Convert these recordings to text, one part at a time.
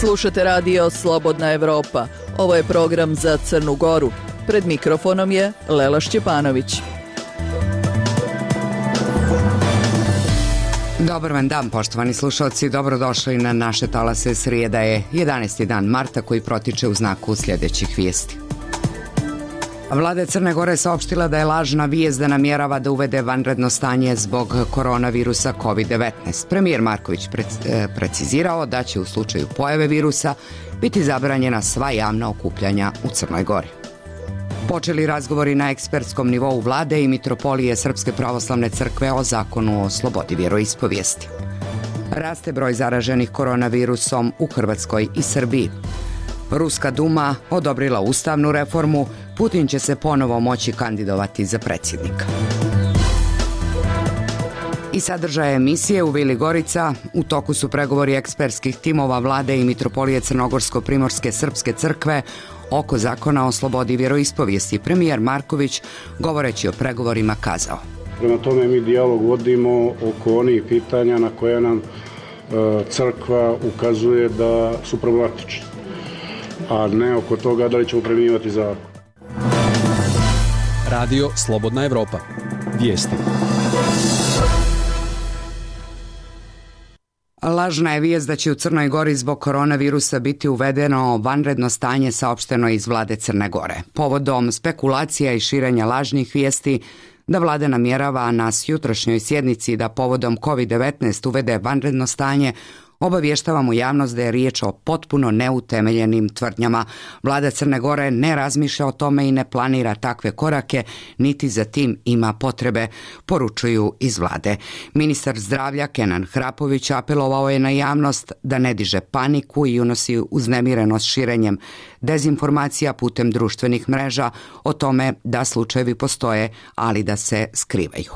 Slušate radio Slobodna Evropa. Ovo je program za Crnu Goru. Pred mikrofonom je Lela Šćepanović. Dobar vam dan, poštovani slušalci, dobrodošli na naše talase. Srijeda je 11. dan marta koji protiče u znaku sljedećih vijesti. Vlada Crne Gore saopštila da je lažna vijest da namjerava da uvede vanredno stanje zbog koronavirusa COVID-19. Premijer Marković precizirao da će u slučaju pojave virusa biti zabranjena sva javna okupljanja u Crnoj Gori. Počeli razgovori na ekspertskom nivou vlade i mitropolije Srpske pravoslavne crkve o zakonu o slobodi vjeroispovijesti. Raste broj zaraženih koronavirusom u Hrvatskoj i Srbiji. Ruska Duma odobrila ustavnu reformu, Putin će se ponovo moći kandidovati za predsjednika. I sadržaje emisije u Vili Gorica. U toku su pregovori ekspertskih timova vlade i mitropolije Crnogorsko-primorske Srpske crkve oko zakona o slobodi vjeroispovijesti. Premijer Marković, govoreći o pregovorima, kazao: Prema tome mi dijalog vodimo oko onih pitanja na koje nam crkva ukazuje da su problematični, a ne oko toga da li ćemo primjenjivati zakon. Radio Slobodna Evropa. Vijesti. Lažna je vijest da će u Crnoj Gori zbog koronavirusa biti uvedeno vanredno stanje, saopšteno iz vlade Crne Gore. Povodom spekulacija i širenja lažnih vijesti da vlada namjerava na jutrošnjoj sjednici da povodom COVID-19 uvede vanredno stanje, obavještavamo javnost da je riječ o potpuno neutemeljenim tvrdnjama. Vlada Crne Gore ne razmišlja o tome i ne planira takve korake, niti za tim ima potrebe, poručuju iz vlade. Ministar zdravlja Kenan Hrapović apelovao je na javnost da ne diže paniku i unosi uznemirenost širenjem dezinformacija putem društvenih mreža o tome da slučajevi postoje, ali da se skrivaju.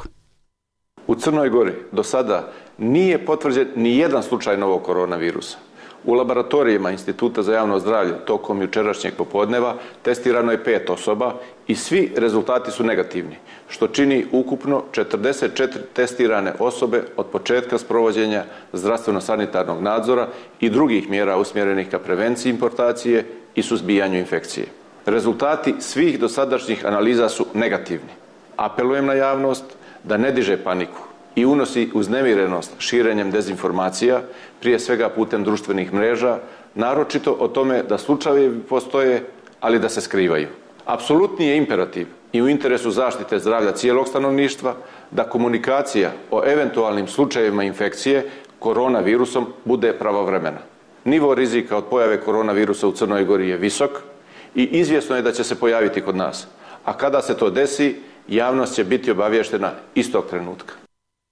U Crnoj Gori do sada nije potvrđen ni jedan slučaj novog koronavirusa. U laboratorijima Instituta za javno zdravlje tokom jučerašnjeg popodneva testirano je 5 osoba i svi rezultati su negativni, što čini ukupno 44 testirane osobe od početka sprovođenja zdravstveno-sanitarnog nadzora i drugih mjera usmjerenih ka prevenciji importacije i suzbijanju infekcije. Rezultati svih dosadašnjih analiza su negativni. Apelujem na javnost da ne diže paniku i unosi uznemirenost širenjem dezinformacija, prije svega putem društvenih mreža, naročito o tome da slučajevi postoje, ali da se skrivaju. Apsolutni je imperativ i u interesu zaštite zdravlja cijelog stanovništva da komunikacija o eventualnim slučajevima infekcije koronavirusom bude pravovremena. Nivo rizika od pojave koronavirusa u Crnoj Gori je visok i izvjesno je da će se pojaviti kod nas. A kada se to desi, javnost će biti obavještena istog trenutka.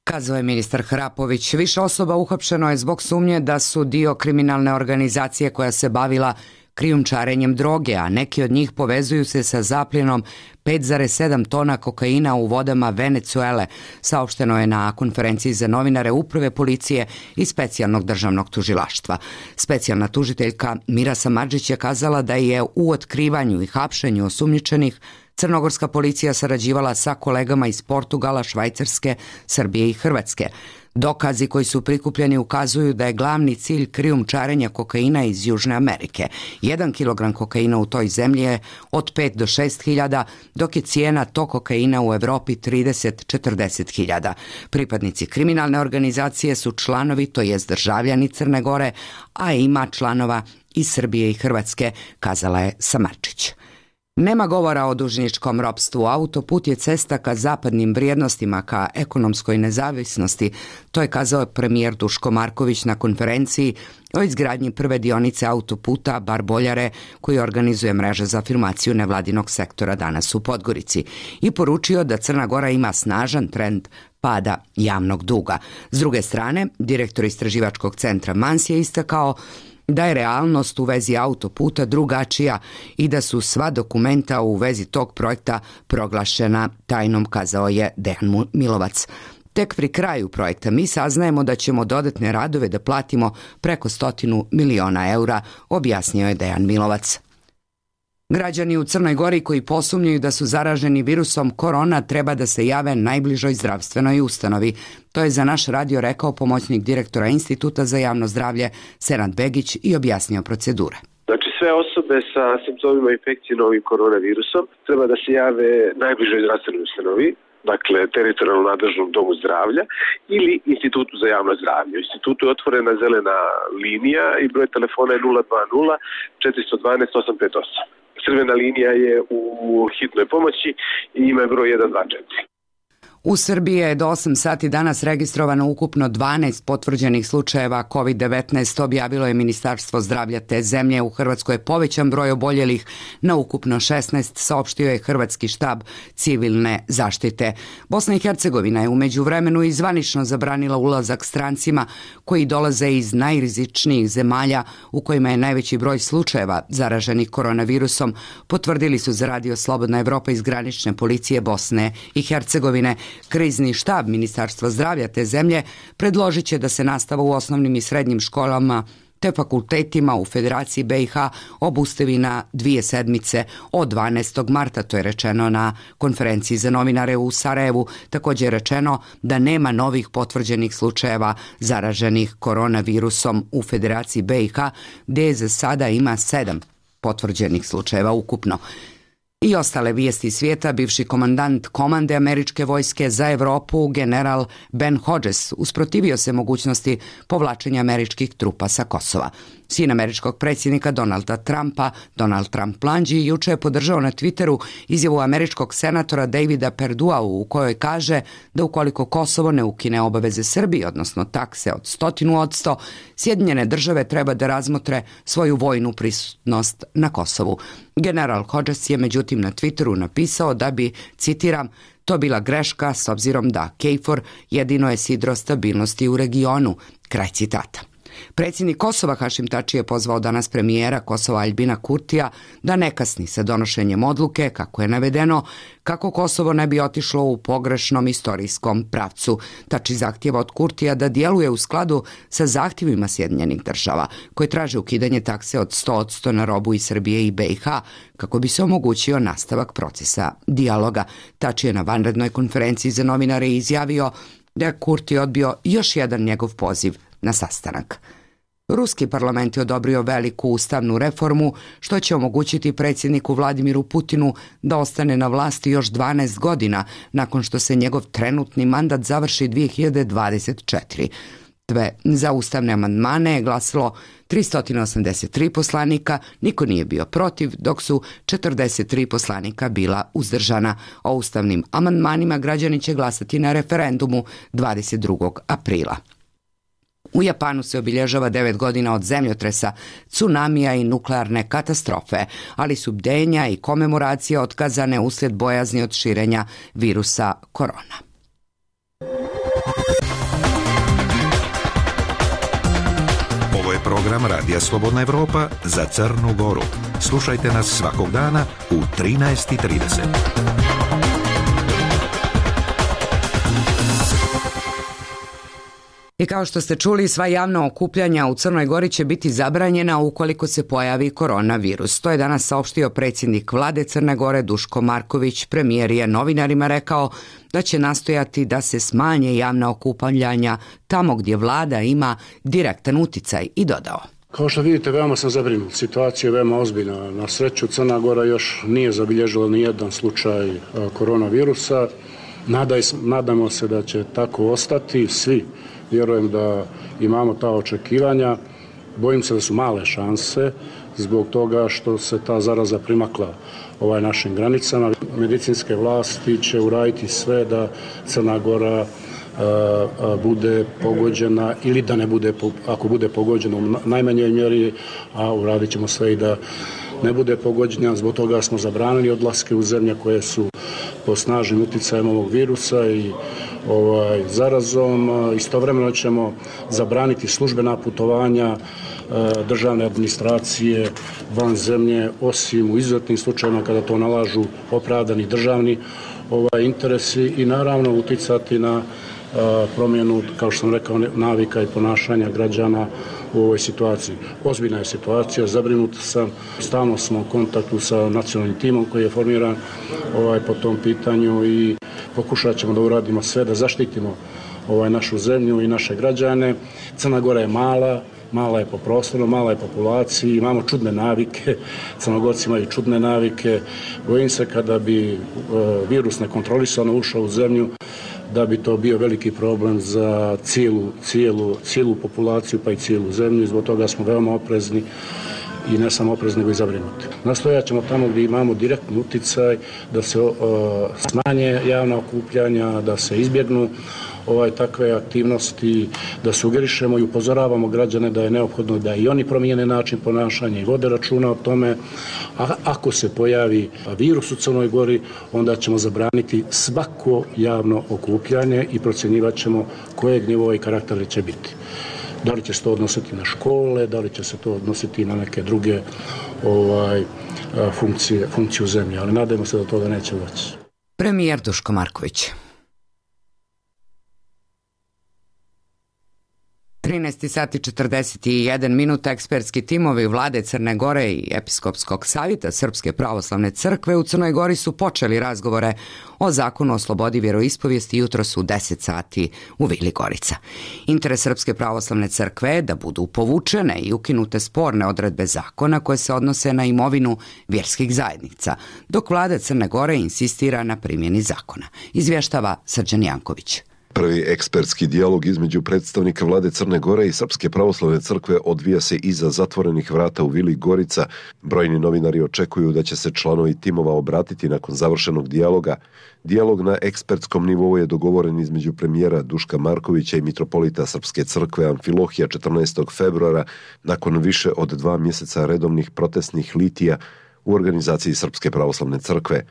Kazao je ministar Hrapović. Više osoba uhapšeno je zbog sumnje da su dio kriminalne organizacije koja se bavila krijumčarenjem droge, a neki od njih povezuju se sa zapljenom 5,7 tona kokaina u vodama Venecuele, saopšteno je na konferenciji za novinare Uprave policije i specijalnog državnog tužilaštva. Specijalna tužiteljka Mira Samardžić je kazala da je u otkrivanju i hapšenju osumnjičenih crnogorska policija sarađivala sa kolegama iz Portugala, Švajcarske, Srbije i Hrvatske. Dokazi koji su prikupljeni ukazuju da je glavni cilj krijumčarenja kokaina iz Južne Amerike. 1 kilogram kokaina u toj zemlji je od 5 do 6 hiljada, dok je cijena tog kokaina u Europi 30-40 hiljada. Pripadnici kriminalne organizacije su članovi, to jest državljani Crne Gore, a ima članova iz Srbije i Hrvatske, kazala je Samardžić. Nema govora o dužničkom ropstvu. Autoput je cesta ka zapadnim vrijednostima, ka ekonomskoj nezavisnosti. To je kazao premijer Duško Marković na konferenciji o izgradnji prve dionice autoputa Bar-Boljare, koji organizuje mreža za afirmaciju nevladinog sektora danas u Podgorici, i poručio da Crna Gora ima snažan trend pada javnog duga. S druge strane, direktor istraživačkog centra Mans je istakao da je realnost u vezi autoputa drugačija i da su sva dokumenta u vezi tog projekta proglašena tajnom, kazao je Dejan Milovac. Tek pri kraju projekta mi saznajemo da ćemo dodatne radove da platimo preko 100 miliona eura, objasnio je Dejan Milovac. Građani u Crnoj Gori koji posumnjaju da su zaraženi virusom korona treba da se jave najbližoj zdravstvenoj ustanovi. To je za naš radio rekao pomoćnik direktora Instituta za javno zdravlje Senad Begić i objasnio procedure. Znači sve osobe sa simptomima infekcije novim koronavirusom treba da se jave najbližoj zdravstvenoj ustanovi, dakle teritorijalno nadležnom domu zdravlja ili Institutu za javno zdravlje. U institutu je otvorena zelena linija i broj telefona je 020 412 858. Crvena linija je u hitnoj pomoći i ima broj 124. U Srbiji je do 8 sati danas registrovano ukupno 12 potvrđenih slučajeva COVID-19, objavilo je Ministarstvo zdravlja te zemlje. U Hrvatskoj je povećan broj oboljelih na ukupno 16, saopštio je Hrvatski štab civilne zaštite. Bosna i Hercegovina je u međuvremenu i zvanično zabranila ulazak strancima koji dolaze iz najrizičnijih zemalja u kojima je najveći broj slučajeva zaraženih koronavirusom, potvrdili su za Radio Slobodna Evropa iz granične policije Bosne i Hercegovine. Krizni štab Ministarstva zdravlja te zemlje predložit će da se nastava u osnovnim i srednjim školama te fakultetima u Federaciji BiH obustavi na 2 sedmice od 12. marta, to je rečeno na konferenciji za novinare u Sarajevu. Također je rečeno da nema novih potvrđenih slučajeva zaraženih koronavirusom u Federaciji BiH, gdje za sada ima 7 potvrđenih slučajeva ukupno. I ostale vijesti svijeta, bivši komandant komande američke vojske za Evropu, general Ben Hodges, usprotivio se mogućnosti povlačenja američkih trupa sa Kosova. Sin američkog predsjednika Donalda Trumpa, Donald Trump mlađi, juče je podržao na Twitteru izjavu američkog senatora Davida Perdua u kojoj kaže da ukoliko Kosovo ne ukine obaveze Srbiji, odnosno takse od 100%, Sjedinjene države treba da razmotre svoju vojnu prisutnost na Kosovu. General Hodges je međutim na Twitteru napisao da bi, citiram, to bila greška s obzirom da KFOR jedino je sidro stabilnosti u regionu, kraj citata. Predsjednik Kosova Hašim Tači je pozvao danas premijera Kosova Aljbina Kurtija da ne kasni sa donošenjem odluke, kako je navedeno, kako Kosovo ne bi otišlo u pogrešnom istorijskom pravcu. Tači zahtjeva od Kurtija da djeluje u skladu sa zahtjevima Sjedinjenih država, koje traže ukidanje takse od 100% na robu iz Srbije i BiH, kako bi se omogućio nastavak procesa dijaloga. Tači je na vanrednoj konferenciji za novinare izjavio da je Kurti odbio još jedan njegov poziv na sastanak. Ruski parlament je odobrio veliku ustavnu reformu, što će omogućiti predsjedniku Vladimiru Putinu da ostane na vlasti još 12 godina nakon što se njegov trenutni mandat završi 2024. Za ustavne amandmane je glasilo 383 poslanika, niko nije bio protiv, dok su 43 poslanika bila uzdržana. O ustavnim amandmanima građani će glasati na referendumu 22. aprila. U Japanu se obilježava 9 godina od zemljotresa, tsunamija i nuklearne katastrofe, ali su bdenja i komemoracije otkazane uslijed bojazni od širenja virusa korona. Ovo je program Radija Slobodna Evropa za Crnu Goru. Slušajte nas svakog dana u 13:30. I kao što ste čuli, sva javna okupljanja u Crnoj Gori će biti zabranjena ukoliko se pojavi koronavirus. To je danas saopštio predsjednik vlade Crne Gore Duško Marković. Premijer je novinarima rekao da će nastojati da se smanje javna okupljanja tamo gdje vlada ima direktan uticaj i dodao. Kao što vidite, veoma sam zabrinut. Situacija je veoma ozbiljna. Na sreću Crna Gora još nije zabilježila ni jedan slučaj koronavirusa. Nadamo se da će tako ostati. Svi vjerujem da imamo ta očekivanja. Bojim se da su male šanse zbog toga što se ta zaraza primakla našim granicama. Medicinske vlasti će uraditi sve da Crna Gora bude pogođena ili da ne bude, ako bude pogođena u najmanjoj mjeri, a uradit ćemo sve i da ne bude pogođena. Zbog toga smo zabranili odlaske u zemlje koje su pod snažnim uticajem ovog virusa i zarazom. Istovremeno ćemo zabraniti službena putovanja državne administracije van zemlje, osim u izuzetnim slučajevima kada to nalažu opravdani državni interesi i naravno uticati na promjenu, kao što sam rekao, navika i ponašanja građana u ovoj situaciji. Ozbiljna je situacija, zabrinut sam, stalno smo u kontaktu sa nacionalnim timom koji je formiran po tom pitanju i pokušat ćemo da uradimo sve da zaštitimo našu zemlju i naše građane. Crna Gora je mala je po prostoru, mala je populaciji, imamo čudne navike, Crnogorci imaju čudne navike. Bojim se kada bi virus nekontrolisano ušao u zemlju, da bi to bio veliki problem za cijelu populaciju pa i cijelu zemlju i zbog toga smo veoma oprezni i ne samo oprezni nego i zabrinuti. Nastojat ćemo tamo gdje imamo direktni uticaj da se smanje javna okupljanja, da se izbjegnu takve aktivnosti, da sugerišemo i upozoravamo građane da je neophodno da i oni promijene način ponašanja i vode računa o tome. A ako se pojavi virus u Crnoj Gori, onda ćemo zabraniti svako javno okupljanje i procjenjivat ćemo kojeg nivoa i karaktera će biti. Da li će se to odnositi na škole, da li će se to odnositi na neke druge funkciju zemlje, ali nadajmo se da toga neće doći. Premijer Duško Marković. 13 sati 41 minuta. Ekspertski timovi vlade Crne Gore i Episkopskog savjeta Srpske pravoslavne crkve u Crnoj Gori su počeli razgovore o zakonu o slobodi vjeroispovijesti jutros u 10 sati u Vili Gorica. Interes Srpske pravoslavne crkve je da budu povučene i ukinute sporne odredbe zakona koje se odnose na imovinu vjerskih zajednica, dok vlada Crne Gore insistira na primjeni zakona, izvještava Srđan Janković. Prvi ekspertski dijalog između predstavnika vlade Crne Gore i Srpske pravoslavne crkve odvija se iza zatvorenih vrata u Vili Gorica. Brojni novinari očekuju da će se članovi timova obratiti nakon završenog dijaloga. Dijalog na ekspertskom nivou je dogovoren između premijera Duška Markovića i mitropolita Srpske crkve Amfilohija 14. februara nakon više od 2 mjeseca redovnih protestnih litija u organizaciji Srpske pravoslavne crkve.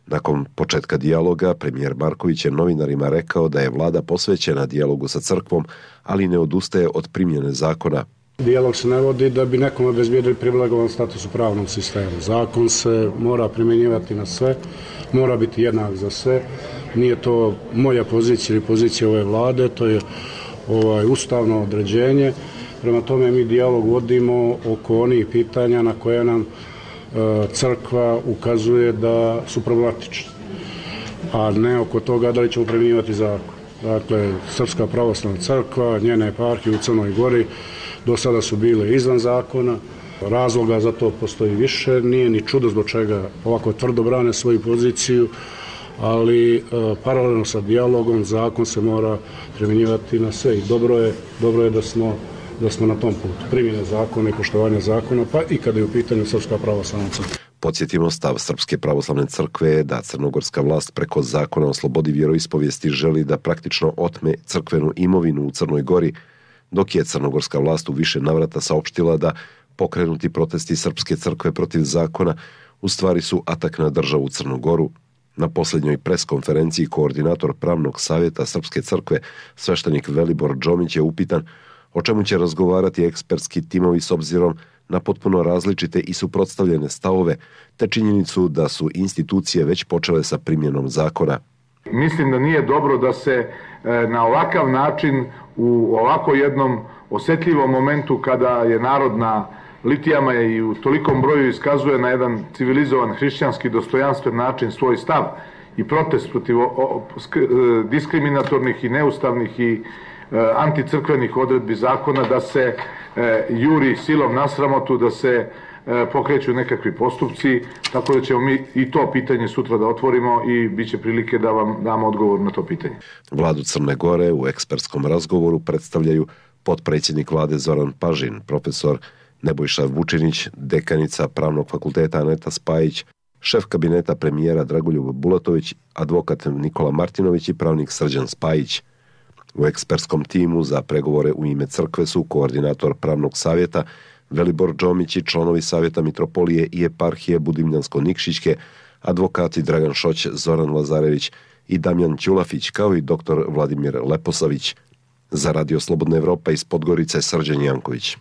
Nakon početka dijaloga, premijer Marković je novinarima rekao da je vlada posvećena dijalogu sa crkvom, ali ne odustaje od primjene zakona. Dijalog se ne vodi da bi nekom obezbijedili privilegovan status u pravnom sistemu. Zakon se mora primjenjivati na sve, mora biti jednak za sve. Nije to moja pozicija ili pozicija ove vlade, to je ustavno određenje. Prema tome mi dijalog vodimo oko onih pitanja na koje nam crkva ukazuje da su problematični, a ne oko toga da li ćemo primjenjivati zakon. Dakle, Srpska pravoslavna crkva, njene eparhije u Crnoj Gori do sada su bile izvan zakona, razloga za to postoji više, nije ni čudo zbog čega ovako tvrdo brane svoju poziciju, ali paralelno sa dijalogom zakon se mora primjenjivati na sve i dobro je da smo na tom putu primjene zakona i poštovanja zakona, pa i kada je u pitanju Srpska pravoslavna crkva. Podsjetimo, stav Srpske pravoslavne crkve je da crnogorska vlast preko zakona o slobodi vjeroispovijesti želi da praktično otme crkvenu imovinu u Crnoj Gori, dok je crnogorska vlast u više navrata saopštila da pokrenuti protesti Srpske crkve protiv zakona u stvari su atak na državu Crnu Goru. Na posljednjoj preskonferenciji koordinator pravnog savjeta Srpske crkve, sveštenik Velibor Džomić, je upitan o čemu će razgovarati ekspertski timovi s obzirom na potpuno različite i suprotstavljene stavove, te činjenicu da su institucije već počele sa primjenom zakona. Mislim da nije dobro da se na ovakav način u ovako jednom osjetljivom momentu kada je narod na litijama i u tolikom broju iskazuje na jedan civilizovan, hrišćanski, dostojanstven način svoj stav i protest protiv diskriminatornih i neustavnih i anticrkvenih odredbi zakona, da se juri silom na sramotu, da se pokreću nekakvi postupci, tako da ćemo mi i to pitanje sutra da otvorimo i bit će prilike da vam damo odgovor na to pitanje. Vladu Crne Gore u ekspertskom razgovoru predstavljaju potpredsjednik vlade Zoran Pažin, profesor Nebojša Vučinić, dekanica Pravnog fakulteta Aneta Spajić, šef kabineta premijera Dragoljub Bulatović, advokat Nikola Martinović i pravnik Srđan Spajić. U ekspertskom timu za pregovore u ime crkve su koordinator pravnog savjeta Velibor Džomić i članovi savjeta mitropolije i eparhije Budimljansko-Nikšićke, advokati Dragan Šoć, Zoran Lazarević i Damjan Ćulafić, kao i dr. Vladimir Leposavić. Za Radio Slobodna Evropa iz Podgorice, Srđan Janković.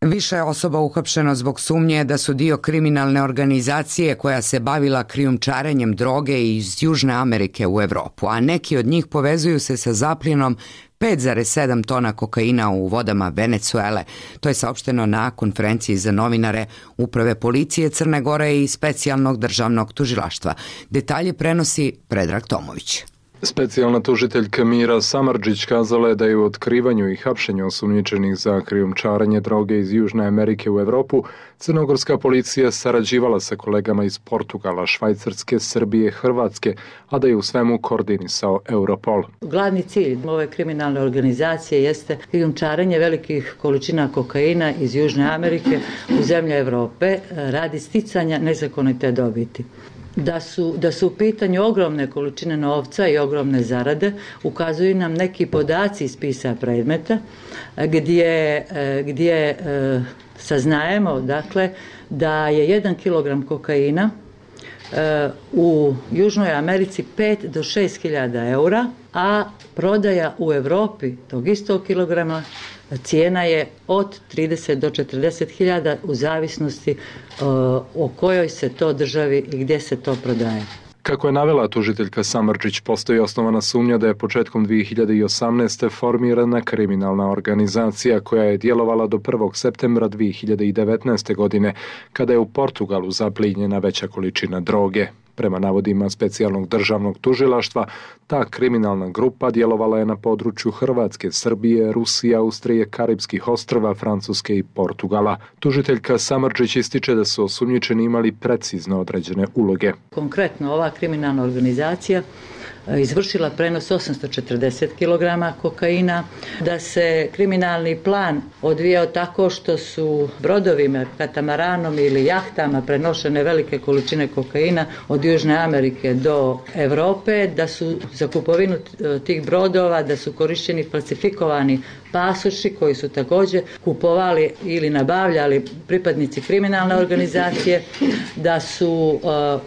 Više je osoba uhapšeno zbog sumnje da su dio kriminalne organizacije koja se bavila krijumčarenjem droge iz Južne Amerike u Europu, a neki od njih povezuju se sa zapljenom 5,7 tona kokaina u vodama Venecuele. To je saopšteno na konferenciji za novinare Uprave policije Crne Gore i specijalnog državnog tužilaštva. Detalje prenosi Predrag Tomović. Specijalna tužiteljka Mira Samardžić kazala je da je u otkrivanju i hapšenju osumnjičenih za krijumčarenje droge iz Južne Amerike u Europu crnogorska policija sarađivala sa kolegama iz Portugala, Švajcarske, Srbije, Hrvatske, a da je u svemu koordinisao Europol. Glavni cilj ove kriminalne organizacije jeste krijumčarenje velikih količina kokaina iz Južne Amerike u zemlje Europe radi sticanja nezakonite dobiti. Da su u pitanju ogromne količine novca i ogromne ukazuju nam neki podaci iz spisa predmeta gdje saznajemo dakle da je 1 kilogram kokaina u Južnoj Americi 5 do 6 hiljada eura, a prodaja u Europi tog istog kilograma cijena je od 30 do 40 hiljada u zavisnosti o kojoj se to državi i gdje se to prodaje. Kako je navela tužiteljka Samardžić, postoji osnovana sumnja da je početkom 2018. formirana kriminalna organizacija koja je djelovala do 1. septembra 2019. godine, kada je u Portugalu zaplijenjena veća količina droge. Prema navodima specijalnog državnog tužilaštva, ta kriminalna grupa djelovala je na području Hrvatske, Srbije, Rusije, Austrije, Karipskih ostrva, Francuske i Portugala. Tužiteljka Samardžić ističe da su osumnjičeni imali precizno određene uloge. Konkretno, ova kriminalna organizacija izvršila prenos 840 kg kokaina, da se kriminalni plan odvijao tako što su brodovima, katamaranom ili jahtama prenošene velike količine kokaina od Južne Amerike do Europe, da su za kupovinu tih brodova, da su korišteni falsifikovani pasoši koji su također kupovali ili nabavljali pripadnici kriminalne organizacije, da su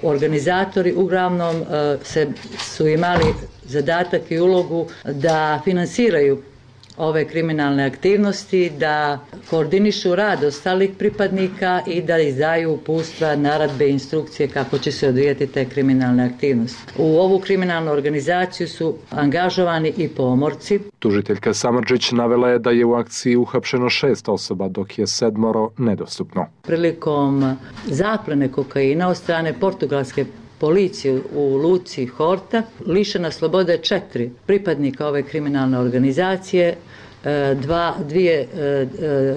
organizatori uglavnom su imali zadatak i ulogu da finansiraju ove kriminalne aktivnosti, da koordinišu rad ostalih pripadnika i da izdaju uputstva, naredbe i instrukcije kako će se odvijati te kriminalne aktivnosti. U ovu kriminalnu organizaciju su angažovani i pomorci. Tužiteljka Samardžić navela je da je u akciji uhapšeno 6 osoba, dok je 7 nedostupno. Prilikom zaplene kokaina od strane portugalske policije u luci Horta lišena slobode 4 pripadnika ove kriminalne organizacije, dvije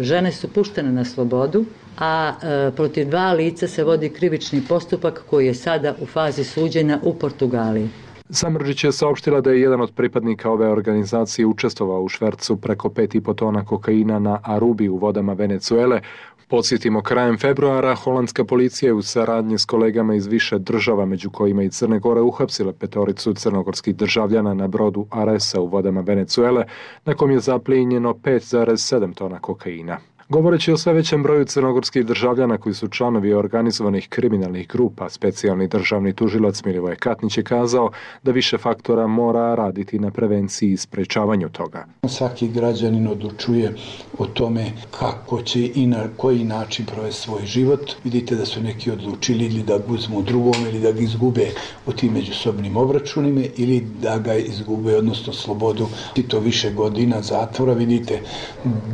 žene su puštene na slobodu, a protiv 2 lica se vodi krivični postupak koji je sada u fazi suđenja u Portugaliji. Samardžić je saopštila da je jedan od pripadnika ove organizacije učestvovao u švercu preko 5,5 tona kokaina na Arubi u vodama Venecuele. Podsjetimo, krajem februara holandska policija je u saradnji s kolegama iz više država, među kojima i Crne Gore, uhapsila 5 crnogorskih državljana na brodu Aresa u vodama Venecuele, na kom je zaplijenjeno 5,7 tona kokaina. Govoreći o sve većem broju crnogorskih državljana koji su članovi organizovanih kriminalnih grupa, specijalni državni tužilac Milivoje Katnić je kazao da više faktora mora raditi na prevenciji i sprečavanju toga. Svaki građanin odlučuje o tome kako će i na koji način provesti svoj život. Vidite da su neki odlučili ili da ga uzmu drugom ili da ga izgube u tim međusobnim obračunima ili da ga izgube, odnosno slobodu. I to više godina zatvora. Vidite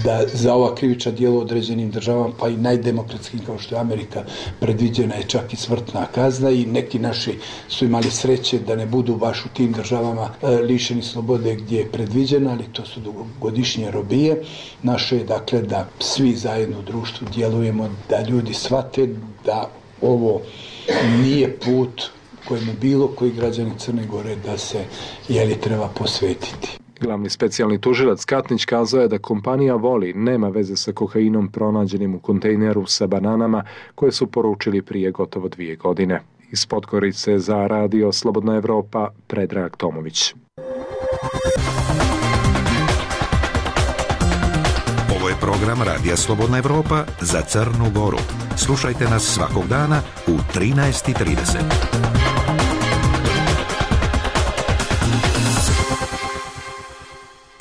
da za ova krivična djela u određenim državama, pa i najdemokratskim kao što je Amerika, predviđena je čak i smrtna kazna i neki naši su imali sreće da ne budu baš u tim državama lišeni slobode gdje je predviđena, ali to su dugogodišnje robije. Naše je dakle da svi zajedno u društvu djelujemo, da ljudi shvate da ovo nije put kojemu bilo koji građani Crne Gore da se treba posvetiti. Glavni specijalni tužilac Katnić kazao je da kompanija Voli nema veze sa kokainom pronađenim u kontejneru sa bananama koje su poručili prije gotovo 2 godine. Iz Podgorice za radio Slobodna Evropa, Predrag Tomović. Ovo je program Radija Slobodna Evropa za Crnu Goru. Slušajte nas svakog dana u 13:30.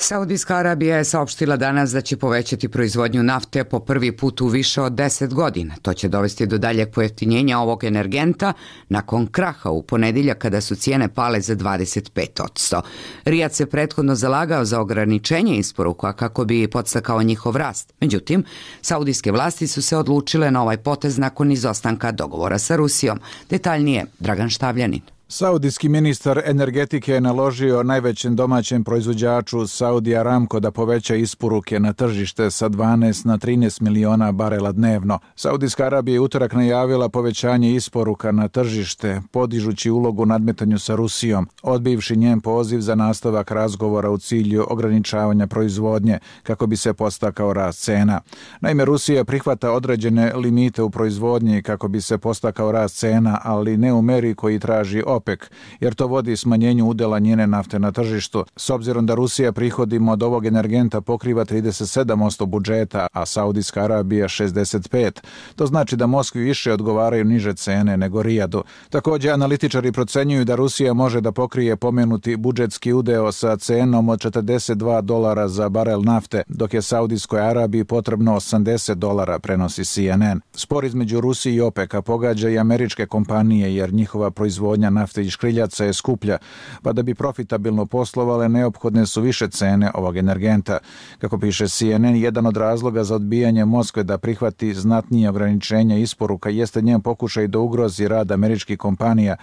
Saudijska Arabija je saopštila danas da će povećati proizvodnju nafte po prvi put u više od 10 godina. To će dovesti do daljeg pojeftinjenja ovog energenta nakon kraha u ponedeljak kada su cijene pale za 25%. Rijad se prethodno zalagao za ograničenje isporuka kako bi podstakao njihov rast. Međutim, saudijske vlasti su se odlučile na ovaj potez nakon izostanka dogovora sa Rusijom. Detaljnije, Dragan Štavljanin. Saudijski ministar energetike je naložio najvećem domaćem proizvođaču Saudi Aramco da poveća isporuke na tržište sa 12 na 13 miliona barela dnevno. Saudijska Arabija je utorak najavila povećanje isporuka na tržište, podižući ulogu u nadmetanju sa Rusijom, odbivši njen poziv za nastavak razgovora u cilju ograničavanja proizvodnje kako bi se podstakao rast cena. Naime, Rusija prihvata određene limite u proizvodnji kako bi se podstakao rast cena, ali ne u meri koji traži OPEC, jer to vodi smanjenju udjela njene nafte na tržištu. S obzirom da Rusija prihodima od ovog energenta pokriva 37% budžeta, a Saudijska Arabija 65%, to znači da Moskvi više odgovaraju niže cene nego Rijadu. Također, analitičari procenjuju da Rusija može da pokrije pomenuti budžetski udeo sa cenom od $42 za barel nafte, dok je Saudijskoj Arabiji potrebno $80, prenosi CNN. Spor između Rusije i OPEC-a pogađa i američke kompanije, jer njihova proizvodnja nafte i škriljaca je skuplja, pa da bi profitabilno poslovale neophodne su više cene ovog energenta. Kako piše CNN, jedan od razloga za odbijanje Moskve da prihvati znatnije ograničenja isporuka jeste njen pokušaj da ugrozi rad američkih kompanija,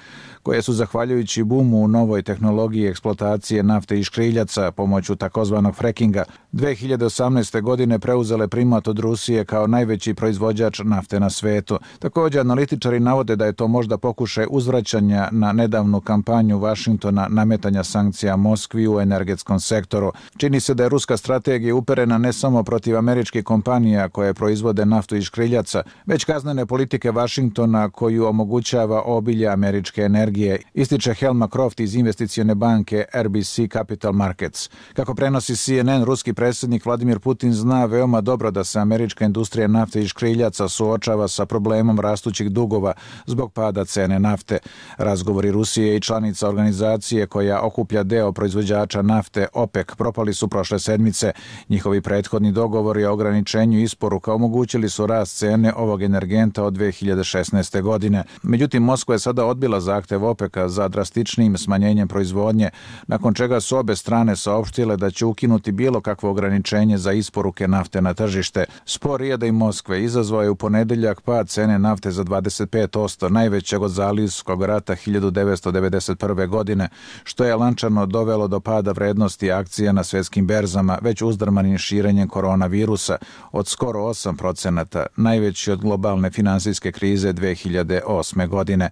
koje su zahvaljujući bumu u novoj tehnologiji eksploatacije nafte i škriljaca pomoću takozvanog frackinga 2018. godine preuzele primat od Rusije kao najveći proizvođač nafte na svetu. Također, analitičari navode da je to možda pokušaj uzvraćanja na nedavnu kampanju Vašingtona nametanja sankcija Moskvi u energetskom sektoru. Čini se da je ruska strategija uperena ne samo protiv američkih kompanija koje proizvode naftu i škriljaca, već kaznene politike Vašingtona koju omogućava obilje američke energije, ističe Helma Croft iz investicione banke RBC Capital Markets. Kako prenosi CNN, ruski predsjednik Vladimir Putin zna veoma dobro da se američka industrija nafte i škriljaca suočava sa problemom rastućih dugova zbog pada cene nafte. Razgovori Rusije i članica organizacije koja okuplja deo proizvođača nafte OPEC propali su prošle sedmice. Njihovi prethodni dogovori o ograničenju isporuka omogućili su rast cene ovog energenta od 2016. godine. Međutim, Moskva je sada odbila zahtev OPEC-a za drastičnijim smanjenjem proizvodnje, nakon čega su obe strane saopštile da će ukinuti bilo kakvo ograničenje za isporuke nafte na tržište. Spor Rijada i Moskve izazvao je u ponedeljak pad cene nafte za 25%, najvećeg od Zalivskog rata 1991. godine, što je lančano dovelo do pada vrednosti akcija na svjetskim berzama, već uzdrmanim širenjem koronavirusa od skoro 8%, najveći od globalne finansijske krize 2008. godine.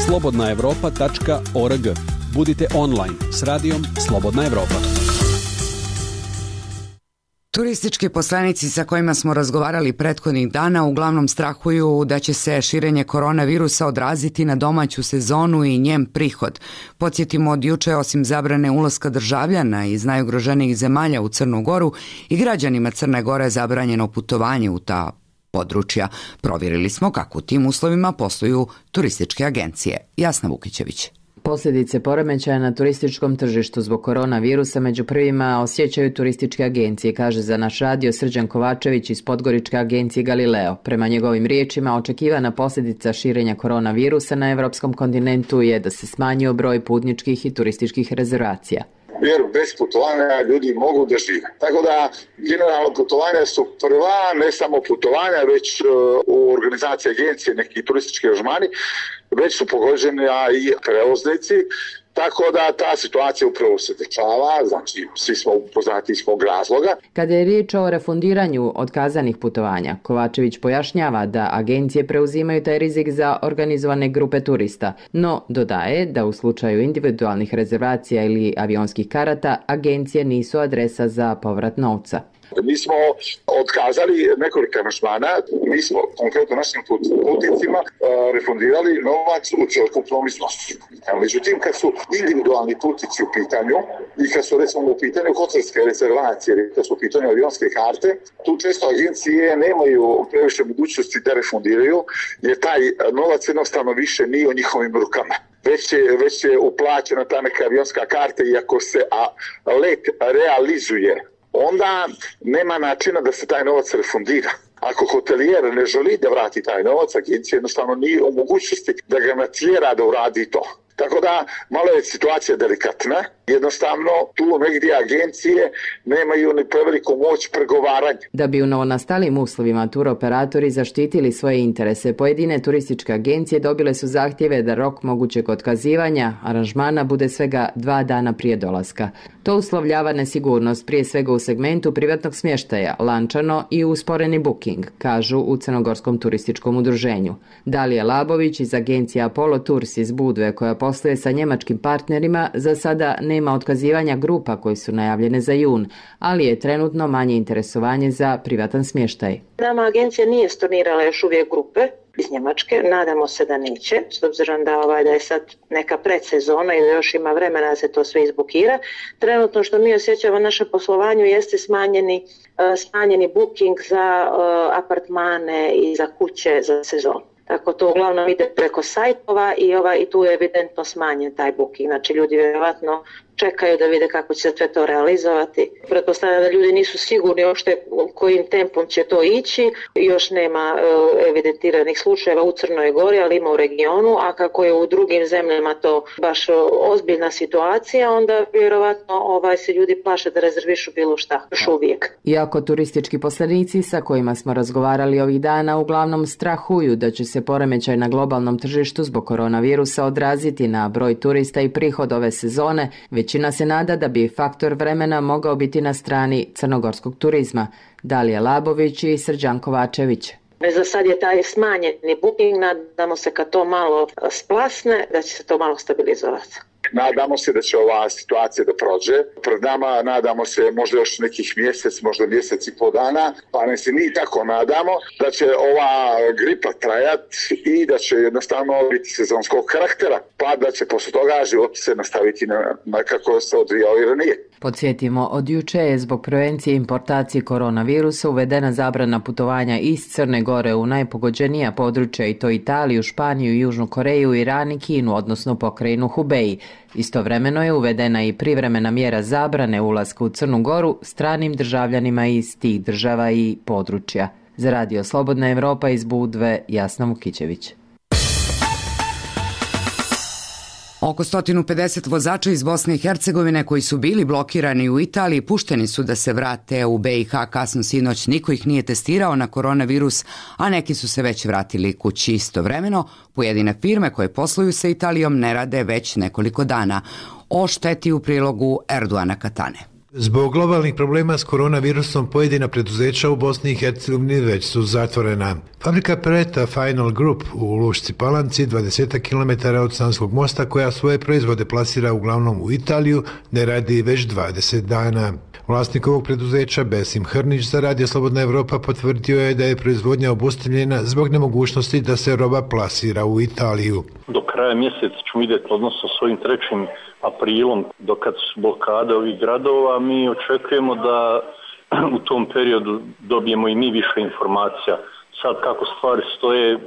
slobodnaevropa.org. Budite online s radijom Slobodna Evropa. Turistički poslanici sa kojima smo razgovarali prethodnih dana uglavnom strahuju da će se širenje koronavirusa odraziti na domaću sezonu i njen prihod. Podsjetimo, od juče osim zabrane ulaska državljana iz najugroženijih zemalja u Crnu Goru i građanima Crne Gore zabranjeno putovanje u ta područja. Provjerili smo kako u tim uslovima posluju turističke agencije. Jasna Vukićević. Posljedice poremećaja na turističkom tržištu zbog koronavirusa među prvima osjećaju turističke agencije, kaže za naš radio Srđan Kovačević iz podgoričke agencije Galileo. Prema njegovim riječima, očekivana posljedica širenja koronavirusa na evropskom kontinentu je da se smanjio broj putničkih i turističkih rezervacija. Jer bez putovanja ljudi mogu da žive. Tako da generalno putovanja su prva, ne samo putovanja, već u organizaciji agencije neki turistički aranžmani, već su pogođeni i prevoznici. Tako da ta situacija upravo se dešava, znači svi smo upoznati iz svog razloga. Kada je riječ o refundiranju otkazanih putovanja, Kovačević pojašnjava da agencije preuzimaju taj rizik za organizovane grupe turista, no dodaje da u slučaju individualnih rezervacija ili avionskih karata, agencije nisu adresa za povrat novca. Mi smo otkazali nekoliko aranžmana, mi smo konkretno našim putnicima refundirali novac u celokupnom iznosu. Međutim, kad su individualni putnici u pitanju i kad su recimo u pitanju hotelske rezervacije, kad su u pitanju avionske karte, tu često agencije nemaju previše mogućnosti da refundiraju, jer taj novac jednostavno više nije u njihovim rukama. već je uplaćena ta neka avionska karta i ako se let realizuje, onda nema načina da se taj novac refundira. Ako hotelijer ne želi da vrati taj novac, agencija jednostavno nije u mogućnosti da ga natjera da uradi to. Tako da malo je situacija delikatna. Jednostavno tu negdje agencije nemaju ni preveliku moć pregovaranja. Da bi u novonastalim uslovima turoperatori zaštitili svoje interese, pojedine turističke agencije dobile su zahtjeve da rok mogućeg otkazivanja aranžmana bude svega 2 dana prije dolaska. To uslovljava nesigurnost, prije svega u segmentu privatnog smještaja, lančano i usporeni booking, kažu u Crnogorskom turističkom udruženju. Dalija Labović iz agencije Apollo Tours iz Budve, koja posluje sa njemačkim partnerima, za sada nema otkazivanja grupa koji su najavljene za jun, ali je trenutno manje interesovanje za privatan smještaj. Nama agencija nije stornirala još uvijek grupe iz Njemačke, nadamo se da neće, s obzirom da je sad neka predsezona i da još ima vremena da se to sve izbukira. Trenutno što mi osjećamo naše poslovanju jeste smanjeni booking za apartmane i za kuće za sezonu. Tako to uglavnom ide preko sajtova i tu je evidentno smanjen taj booking. Znači ljudi vjerojatno čekaju da vide kako će se sve to realizovati. Pretpostavljam da ljudi nisu sigurni uopšte kojim tempom će to ići. Još nema evidentiranih slučajeva u Crnoj Gori, ali ima u regionu, a kako je u drugim zemljama to baš ozbiljna situacija, onda vjerovatno se ljudi plaše da rezervišu bilo šta, još uvijek. Iako turistički poslanici sa kojima smo razgovarali ovih dana uglavnom strahuju da će se poremećaj na globalnom tržištu zbog koronavirusa odraziti na broj turista i prihod ove sezone, većina se nada da bi faktor vremena mogao biti na strani crnogorskog turizma. Dalija Labović i Srđan Kovačević. Za sad je taj smanjeni booking, nadamo se kad to malo splasne, da će se to malo stabilizovati. Nadamo se da će ova situacija da prođe. Pred nama nadamo se možda još nekih možda mjesec i pol dana, pa ne se mi tako nadamo da će ova gripa trajati i da će jednostavno biti sezonskog karaktera, pa da će posle toga život se nastaviti na kako se odvijao i ranije. Podsjetimo, od juče je zbog prevencije importacije koronavirusa uvedena zabrana putovanja iz Crne Gore u najpogođenija područja, i to Italiju, Španiju, Južnu Koreju, Iran i Kinu, odnosno pokrajinu Hubei. Istovremeno je uvedena i privremena mjera zabrane ulaska u Crnu Goru stranim državljanima iz tih država i područja. Za Radio Slobodna Evropa iz Budve, Jasna Vukićević. Oko 150 vozača iz Bosne i Hercegovine koji su bili blokirani u Italiji pušteni su da se vrate u BiH kasno sinoć. Niko ih nije testirao na koronavirus, a neki su se već vratili kući. Istovremeno, pojedine firme koje posluju sa Italijom ne rade već nekoliko dana. O šteti u prilogu Erdoana Katane. Zbog globalnih problema s koronavirusom pojedina preduzeća u Bosni i Hercegovini već su zatvorena. Fabrika Preta Final Group u Lušci Palanci, 20 km od Sanskog mosta, koja svoje proizvode plasira uglavnom u Italiju, ne radi već 20 dana. Vlasnik ovog preduzeća, Besim Hrnić, za Radio Slobodna Evropa potvrdio je da je proizvodnja obustavljena zbog nemogućnosti da se roba plasira u Italiju. Do kraja mjeseca ćemo vidjeti, odnosno s ovim 3. aprilom, dokad su blokade ovih gradova, mi očekujemo da u tom periodu dobijemo i mi više informacija. Sad kako stvari stoje,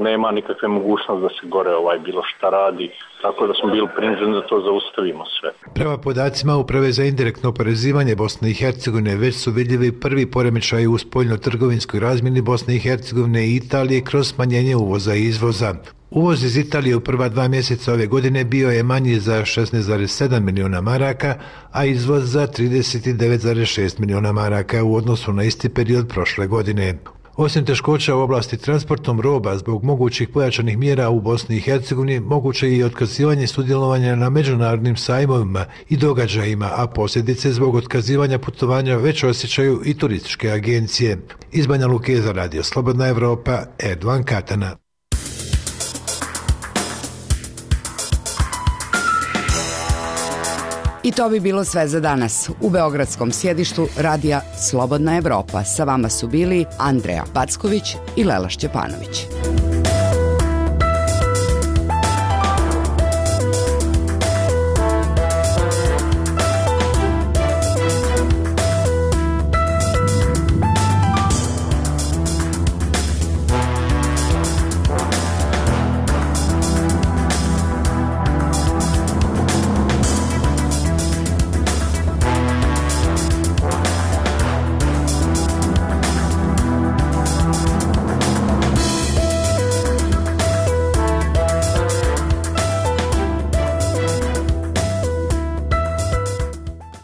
nema nikakve mogućnosti da se gore bilo šta radi, tako da smo bili prinuđeni da to zaustavimo sve. Prema podacima Uprave za indirektno oporezivanje Bosne i Hercegovine već su vidljivi prvi poremećaji u spoljno-trgovinskoj razmjeni Bosne i Hercegovine i Italije kroz smanjenje uvoza i izvoza. Uvoz iz Italije u prva 2 mjeseca ove godine bio je manji za 16,7 milijuna maraka, a izvoz za 39,6 milijuna maraka u odnosu na isti period prošle godine. Osim teškoća u oblasti transportom roba zbog mogućih pojačanih mjera u Bosni i Hercegovini, moguće je i otkazivanje sudjelovanja na međunarodnim sajmovima i događajima, a posljedice zbog otkazivanja putovanja već osjećaju i turističke agencije. Iz Banja Luke za Radio Slobodna Evropa, Erdoan Katana. I to bi bilo sve za danas. U beogradskom sjedištu Radija Slobodna Evropa sa vama su bili Andreja Packović i Lela Šćepanović.